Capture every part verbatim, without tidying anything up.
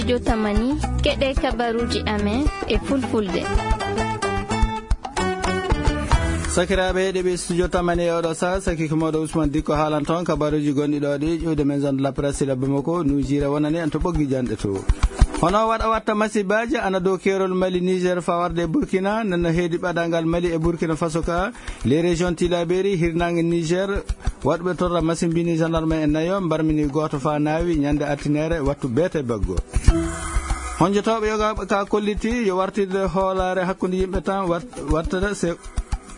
Studio Tamani, keɗe kabaruji amen e fulfulde. Sakiraaɓe heɗiiɓe Studio Tamani e oɗo saha, saki ko mawɗo Ousmane Dikko haalan toon kabaruji gonɗi ɗo ɗi, ƴuwde men zone de la presse, labbe makko, nujira wonani en to ɓoggi janɗe to. Hono waɗa watta masibaaji ana dow keerol Mali, Niger, fawarde e Burkina, nana heedi ɓadangal Mali e Burkina Faso ka, les régions Tilaberi, hirnaange Niger, waɗɓe torra masimbini gendarme en nayo, mbarmini gooto fa naawi ñande altinere wattu beete baggo. Honjotooɓe yogaaɓe ka kolliti yo wartirde hoolaare hakkunde yimɓe tan wat-, wattada se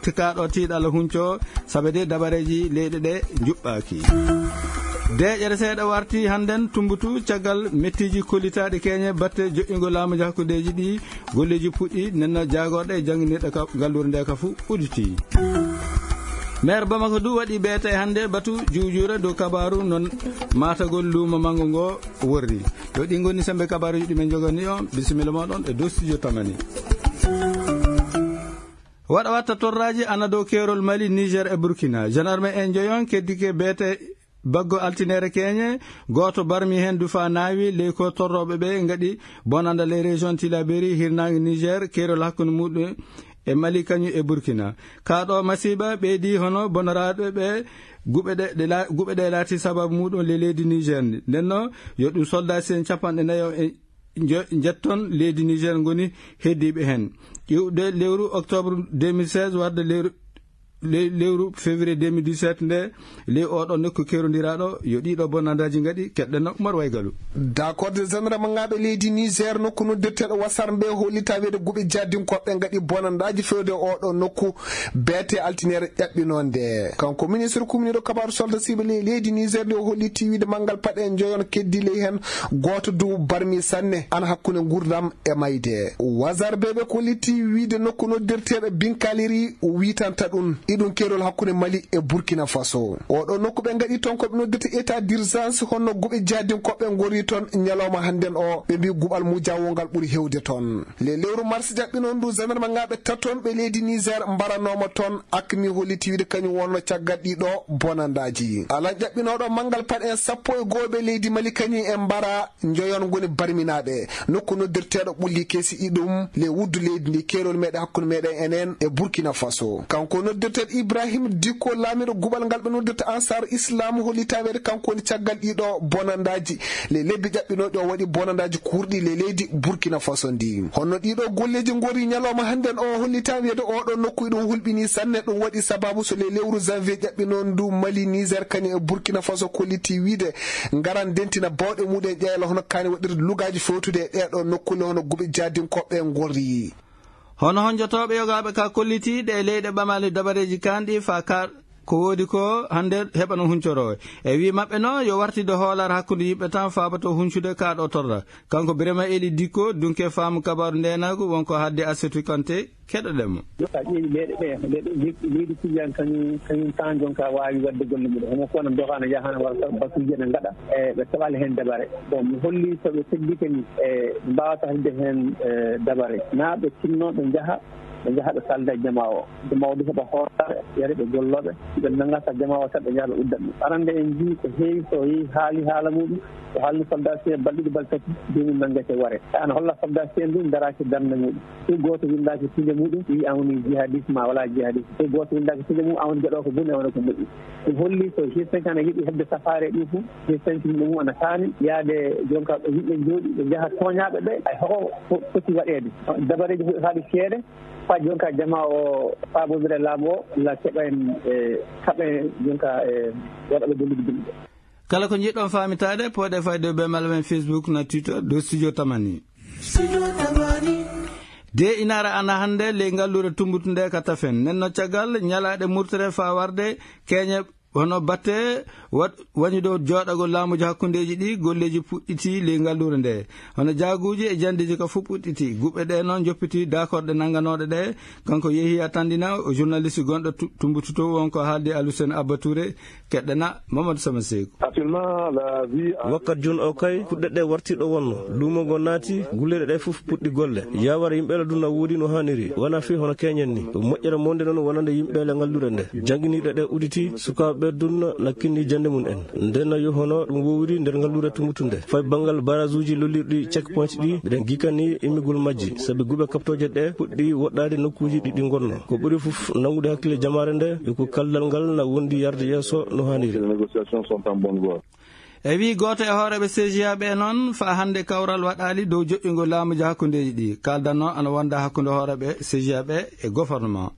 tikaaɗo tiiɗalla hunco, sabe de dabareeji leyɗe ɗe njuɓɓaaki. Deeƴere seeɗa warti hannden Tumbutu caggal mettiiji kollitaaɗi keñe batte joƴƴingo laamuji hakkundeeji ɗi. Golleeji puɗɗi, nenno jaagorɗe e jannginirɗe ka galluure nde ka fuu udditii. Maire Bamako du waɗi beete hannde batu juujuure dow kabaaru non maatagol luumo manngo ngo worri. Yo ɗi ngoni sembe kabaaruji ɗi men njogani on. Bisimilla mooɗon e dow Studio Tamani. Waɗa watta torraaji ana dow keerol Mali, Niger e Burkina. Gendarme en njoyon keddike beete baggo altinere keñe, gooto barmi heen dufa naawi, ley ko torrooɓe ɓe ngaɗi bonanda ley région Tilaberi, hirnaange Niger, keerol hakkunde muɗum e Mali kañum e Burkina. Kaa ɗo masiiba ɓeydi hono bonoraaɗo ɓe guɓe ɗe, ɗe la-, guɓe ɗe laati sababu muɗum le leydi Niger ndi. Nden no yo ɗum soldat sen capanɗe nayo e njo-, njetton leydi Niger ngoni heddiiɓe heen. Iwde lewru octobre deux mille seize warde lewru, le-, lewru février deux mille dix-sept nde, ley oɗo nokku kerondiraaɗo, yo ɗiɗo bonandaaji ngaɗi, keɗɗen no Umar Waygalu. Dakorde zandarmagaaɓe leydi Niger nokku noddirteeɗo Wasar mbe hollita wiide guɓe jaadinkoɓe ngaɗi bonandaaji fewde oɗo nokku beete altinere ƴaɓɓinonde. Kanko ministre kumniiɗo kabaaru soldat siɓe ley leydi Niger nde o holliti wiide manngal paɗe njoyon keddi ley heen gooto du barmi sanne ana hakkunde nguurndam e mayde. Wasar be ɓe kolliti wiide nokku noddirteeɗo Binkaliri witanta ɗum. Iɗum keerol hakkunde Mali e Burkina Faso. Oɗo nokku ɓe ngaɗi toon ko ɓe noddirta état d'urgence honno guɓe jaadinkoɓe ngori toon ñalawma hannden o. Ɓe mbi guɓal mujawol ngal ɓuri hewde toon. Le lewru mars jaɓɓinon ndu zandarmagaaɓe taton ɓe leydi Niger mbaranooma toon. Akmi holliti wiide kañum wonno caggal ɗiɗo bonandaaji. Alan ƴaɓɓinooɗo manngal paɗe en sappo e goo ɓe leydi Mali kañum e mbara njoyon ngoni barminaaɓe. Nokku noddirteeɗo ɓulli kesi iɗum le wuddu leydi ndi keerol meɗen hakkunde meɗen enen e Burkina Faso. Kanko noddirteeɗo Ibrahim Dikko laamiɗo guɓal ngal ɓe noddirta Ansar Islam hollita wiide kanko woni caggal ɗiɗo bonandaaji. Le lebbi ƴaɓɓinooɗi o waɗi bonandaaji kurɗi le leydi Burkina Faso ndi. Honno ɗiɗo golleeji ngori ñalawma hannden o hollita wiide oɗo nokku iɗum hulɓini sanne ɗum waɗi sababu so le lewru janvier ƴaɓɓinon ndu Mali, Niger, kañum e Burkina Faso kolliti wiide ngaran dentina bawɗe muɗum ƴeela hono kaani waɗirde lugaaji fewtude e ɗeɗo nokkule hono guɓe jaadinkoɓe ngorri. Hono honjotooɓe yogaaɓe ka kolliti ɗe leyɗe ɓamale dabareeji kanɗi fa ka ko woodi ko hannde heɓano huncoro. E wi maɓɓe no yo wartide hoolaare hakkunde yimɓe tan faabato huncude ka ɗo torra. Kanko Birema Eli Dikko, dunke faamu kabaaru ndeenaagu, wonko haaldi Asetu Kante, keɗoɗen mo. Sa ƴeewi leyɗe ɗe, leyɗe, leyɗe, leydi Tijaan kañum, kañum tan jonka waawi waɗde golle muɗum. Hono ko wona doga na yaha na wara taw batuuji ene ngaɗa, e ɓe keɓaali heen dabare. Bon, mi holli so ɓe teddike ni, e ɓe mbaawata heɓde heen, e, dabare. Na ɓe tinno ɓe njaha, ɓe njaha ɓe kalda e jamaa o. Jamaa o du heɓa hoore, yare ɓe gollooɓe. Si ɓe nannga sa jamaa o tan ɓe njaha ɓe udda ɗum. Arande en njii ko heewi so yehi haali haala muɗum, o haalni soldat si en balɗe ɗiɗi balɗe tati, joomum nanngete ware. Ana holla soldat si en du daraaki darnde muɗum. Hay gooto winndaaki pille muɗum, wi an woni jihadiste ma wala jihadiste. Hay gooto winndaaki pille mum, an woni gaɗoowo ko boni, an woni ko moƴƴi. Ɗum holli so G cinq ana yiɗi heɓde safaare ɗum fof, G cinq yimɓe mum ana kaani yaade jonka ɓe yimɓe njooɗi, ɓe njaha tooñaaɓe ɓe, hay hoko fo-, foti waɗeede. Dabareeji huɗotaaɗi seeɗa, faa jonka jamaa o faabondira e laamu o, la keɓa en, e, kaɓa en jonka, e, waɗa ɓe gollude yimɓe. Kala ko njiɗɗon faamitaade, pooɗe fayde be mala men Facebook na Twitter, dow Studio Tamani. De inaara ana hannde ley ngalluure Tumbutu nde ka Tafen. Nden no caggal ñalaaɗe murtere faa warde keeñe hono batte wa-, wañude jooɗagol laamuuji hakkundeeji ɗi, golleeji puɗɗiti ley ngalluure nde. Hono jaaguuji e jandeeji ka fof puɗɗiti. Guɓe ɗe noon njoppiti daakorɗe nannganooɗe ɗe. Kanko Yehiya Tandina, o journaliste gonɗo Tu-, Tumbutu to, wonko haaldi Alusen Abba Touré. Keɗɗana Mamadou Sama Seeku. Actuellement, la vie a Wakkat jooni o kay, kuɗɗe ɗe warti ɗo wonno. Luumo ngo naati, gulleeɗe ɗe fof puɗɗi golle. Yawara yimɓe la duna woodi no haaniri. Wona fii hono keñen ni. Moƴƴere monde noon wonande yimɓe le ngalluure nde. Jannginiiɗe ɗe uditi, sukaaɓe Ɓe dunno na kinni jannde mum en. Nden na yo hono ɗum wowri nder ngalluure Tumbutu nde. Fay banngal barasuuji lollirɗi checkpoint ɗi, mbiɗen gikani immigol majji, sabi guɓe kaɓtooje ɗe puɗɗi woɗɗaade nokkuuji ɗi ɗi ngonno. Ko ɓuri fof nanngude hakkille jamaare nde, yo ko kaldal ngal na wondi yarde yeeso no haaniri. Les négociations sont en bonne voie. E wii gooto e hooreeɓe C G A ɓe noon, faa hannde kawral waɗaali dow joƴƴingol laamuuji hakkundeeji ɗi. Kaaldanno ana wonda hakkunde hooreeɓe C G A ɓe e gouvernement.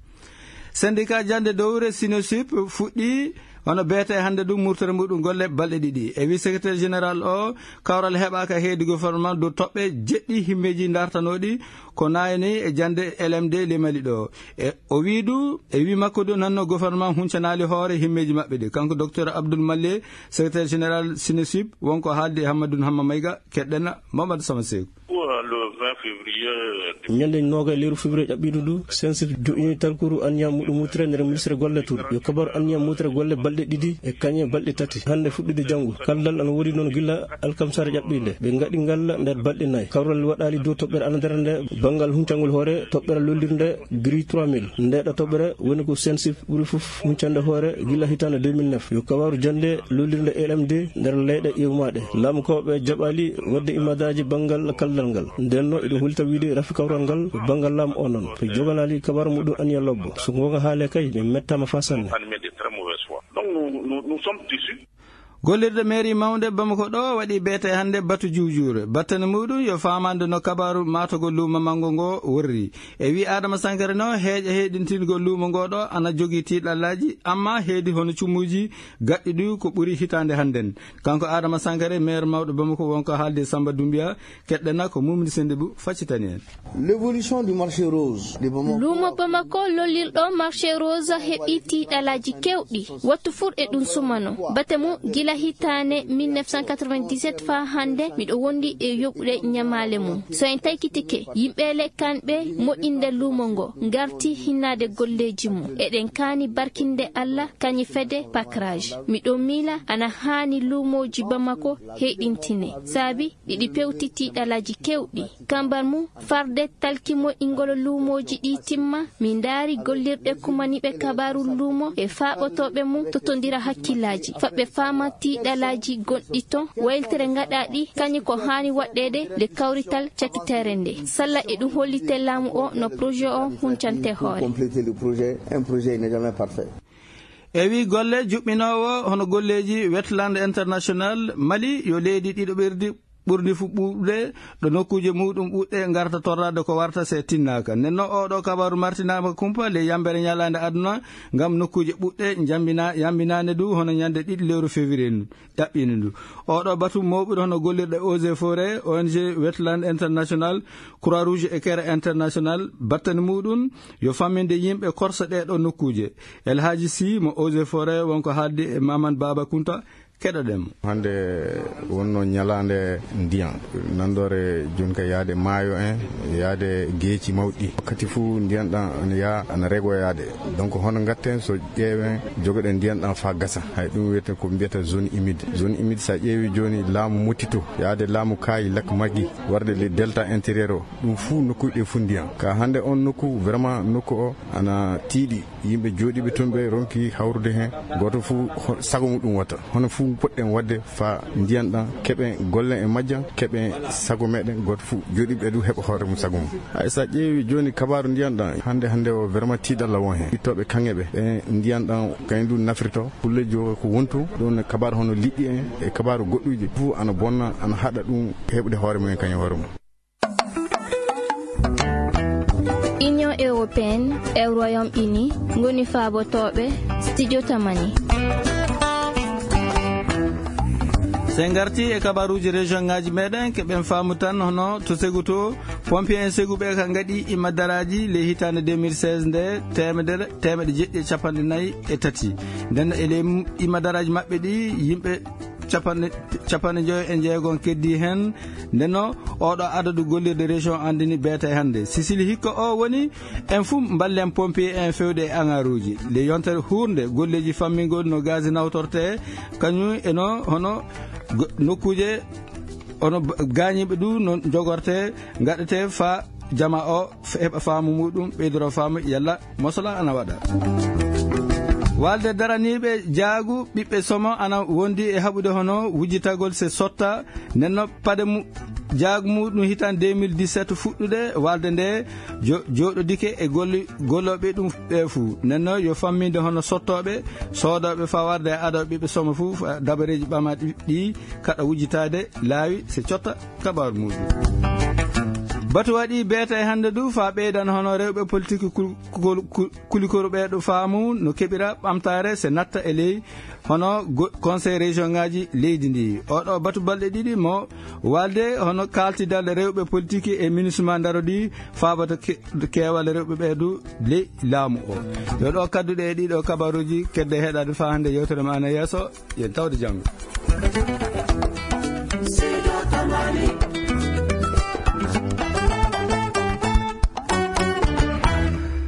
Syndicat jannde dowre Sinosip fuɗɗii hono beete hannde ɗum murtere muɗum golle balɗe ɗiɗi. E wii secrétaire général o, kawral heɓaaka heedi gouvernement dow toɓɓe jeɗɗi himmeeji dartanooɗi ko naayni e jannde L M D le Mali ɗo. E o wii du, e wii makko du nanno gouvernement huncanaali hoore himmeeji maɓɓe ɗi. Kanko docteur Abdoul Malle, secrétaire général Sinosip, wonko haaldi e Hammadou Hamma Mayga, keɗɗen Mamadou Sama Seeku. Pour le vingt février. Ñande noogay lewru février ƴaɓɓiiɗo ndu, Sinosip joƴƴini talkuru anniya muɗum mutre nder ministre golle tun. Yo kabaru anniya mutre golle balɗe ɗiɗi e kañe balɗe tati. Hannde fuɗɗude janngo. Kaldal ana woodi noon gila alkamsare ƴaɓɓiinde. Ɓe ngaɗi ngal nder balɗe nayi. Kawral waɗaali dow toɓɓere anadere nde banngal huncangol hoore toɓɓere lollirnde Gri trois mille. Ndeeɗo toɓɓere woni ko Sinosip ɓuri fof huncande hoore gila hitaande deux mille neuf. Yo kabaru jannde lollirnde L M D nder leyɗe ƴeewmaaɗe. Laamukooɓe jaɓaali waɗde imadaaji banngal kaldal ngal. Nden no eɗen hulta wiide rafi kawral ngal ko banngal laamu o noon. To joganaali kabaru muɗum anniya lobbo. So goonga haale kay, min mettaama faa sanne. Donc nous, nous, nous sommes déçus. Gollirde mairie mawnde Bamako ɗo waɗi beete hannde batu juujuure. Battane muɗum yo faamande no kabaaru maatogol luumo manngo ngo worri. E wii Adama Sankare no heeƴa heeɗintingol luumo ngo ɗo ana jogii tiiɗallaaji, amma heedi hono cumuuji gaɗɗi ɗi ko ɓuri hitaande hannden. Kanko Adama Sankare, maire mawɗo Bamako, wonko haaldi e Samba Doumbia, keɗɗena ko Mumni Sendibou faccitani en. L'évolution du marché rose de Bamako. Luumo Bamako lollirɗo marché rose heɓi tiiɗalaaji kewɗi. Wattu fur e ɗum sumano. Bate mum gila hitaande mille neuf cent quatre-vingt-dix-sept faa hannde, miɗo wondi e yoɓude ñamaale mum. So en taykitike, yimɓe le kanɓe moƴƴinde luumo ngo, ngarti hinnaade golleeji mum. Eɗen kaani barkinde Allah, kañi fede pakraaj. Miɗo miila ana haani luumooji Bamako heyɗintine. Saabi ɗiɗi pewti tiiɗalaaji kewɗi. Kambar mum, farde talki moƴƴingol luumooji ɗi timma, min ndaari gollirɗe kumaniiɓe kabaaru luumo e faaɓotooɓe mum totondira hakkillaaji. Faɓɓe faama tiiɗalaaji gonɗi ton, wayltere ngaɗaaɗi, kañum ko haani waɗɗeede nde kawrital cakiteere nde. Salla e ɗum hollite laamu o no projet o huncante hoore. Compléter le projet, un projet n'est jamais parfait. E wii golle juɓɓinoowo hono golleeji Wetland International Mali yo leydi ɗiɗo ɓerdi ɓurdi fu ɓuuɓde ɗo nokkuuje muɗum ɓuuɗɗe ngarta torraade ko warta se tinnaaka. Nden no oɗo kabaru martinaama kumpa ley yambere ñalaande aduna ngam nokkuuje ɓuuɗɗe njambina-, yambinaane du hono ñande ɗiɗi lewru février ndu, ƴaɓɓiinde ndu. Oɗo batu mawɓe hono gollirɗe Eaux et Forêts, O N G Wetland International, Croix Rouge et Care International, battani muɗum yo famminde yimɓe korsa ɗee ɗo nokkuuje. El Hadji Sy mo Eaux et Forêts wonko haaldi e Maman Baba Kunta. Keɗoɗen mo. Hannde wonno ñalaande ndiyan, nanndore jooni ka yaade maayo en, yaade geeci mawɗi. Wakkati fuu ndiyan ɗan ana yaa, ana rego yaade. Donc hono ngatten so ƴeewen jogoɗen ndiyan ɗan faa gasa. Hay ɗum wiyete ko mbiyata zone humide. Zone humide, so a ƴeewi jooni laamu Motito, yaade laamu Kaayi, Lac Magui, warde le delta intérieur o, ɗum fuu nokkuuji ɗi fuu ndiyan. Ka hannde on nokku, vraiment nokku o ana tiiɗi. Yimɓe jooɗiiɓe toon ɓe ronki hawrude heen, gooto fof ho-, sago muɗum watta. Hono fof poɗɗen waɗde faa ndiyan ɗan keɓen, gollen e majjan, keɓen sago meɗen, gooto fof jooɗiiɓe ɗum heɓa hoore mum sago mum. Hay so a ƴeewi jooni kabaaru ndiyan ɗan, hannde, hannde o vraiment tiiɗalla won heen. Ittooɓe kaŋŋe ɓe, ɓe ndiyan ɗan kañum ɗum nafirto, kulle joga ko wontu, ɗum kabaaru hono liɗɗi en e kabaaru goɗɗuuji fof ana bonna, ana haɗa ɗum heɓude hoore mum en kañum hoore mum. Union européenne e Royaume-Uni ngoni faabotooɓe Studio Tamani. So en ngartii e kabaruuji région ngaaji meɗen, keɓen faamu tan hono to Segu to, pompier en Segu ɓe ka ngaɗi imadaraaji ley hitaande deux mille seize nde teemedere, teemeɗe jeɗɗi e capanɗe nayi e tati. Nden e ley imadaraaji maɓɓe ɗi, yimɓe capanɗe, capanɗe njoyo e jeegom keddii heen. Ndenno, oɗo adadu gollirde région anndini beete hannde. Sisili hikka o woni en fuu mballen pompier en fewde e angaruuji. Nde yontere huurnde golleeji fammingol no gaz nawtorte, kañum e no hono go-, nokkuuje hono ba-, gaañiiɓe du no jogorte, ngaɗete faa jama o f-, heɓa faamu muɗum, ɓeydoro faamu yalla mosola ana waɗa. Walde daraniiɓe jaagu ɓiɓɓe somo ana wondi e haɓude hono wujjitagol se sotta. Nenno pade mu-, jaagu muɗum hitan deux mille dix-sept fuɗɗude walde nde jo-, jooɗodike e golli-, gollooɓe ɗum ɓe fuu. Nenno yo famminde hono sottooɓe, soodooɓe faa warde e adoo ɓiɓɓe somo fuu, fa-, dabareeji ɓamaɗi ɗi kaɗa wujjitaade laawi se cotta kabaaru muɗum. Batu waɗi beeta e hannde du faa ɓeydan hono rewɓe politique kul-, kul-, kul-, kulikoru ɓeeɗo faamu no keɓira ɓamtaare se natta e ley hono go-, conseil région ngaji leydi ndi. Oɗo batu balɗe ɗiɗi mo walde hono kaltidal rewɓe politique e ministre ma ndarodi faabata ke-, keewal rewɓe ɓeedu ley laamu o. Yo ɗo kadduɗe e ɗiɗo kabaruji kedde heɗade faa hannde yewtere ma ana yeeso, yen tawde janngo.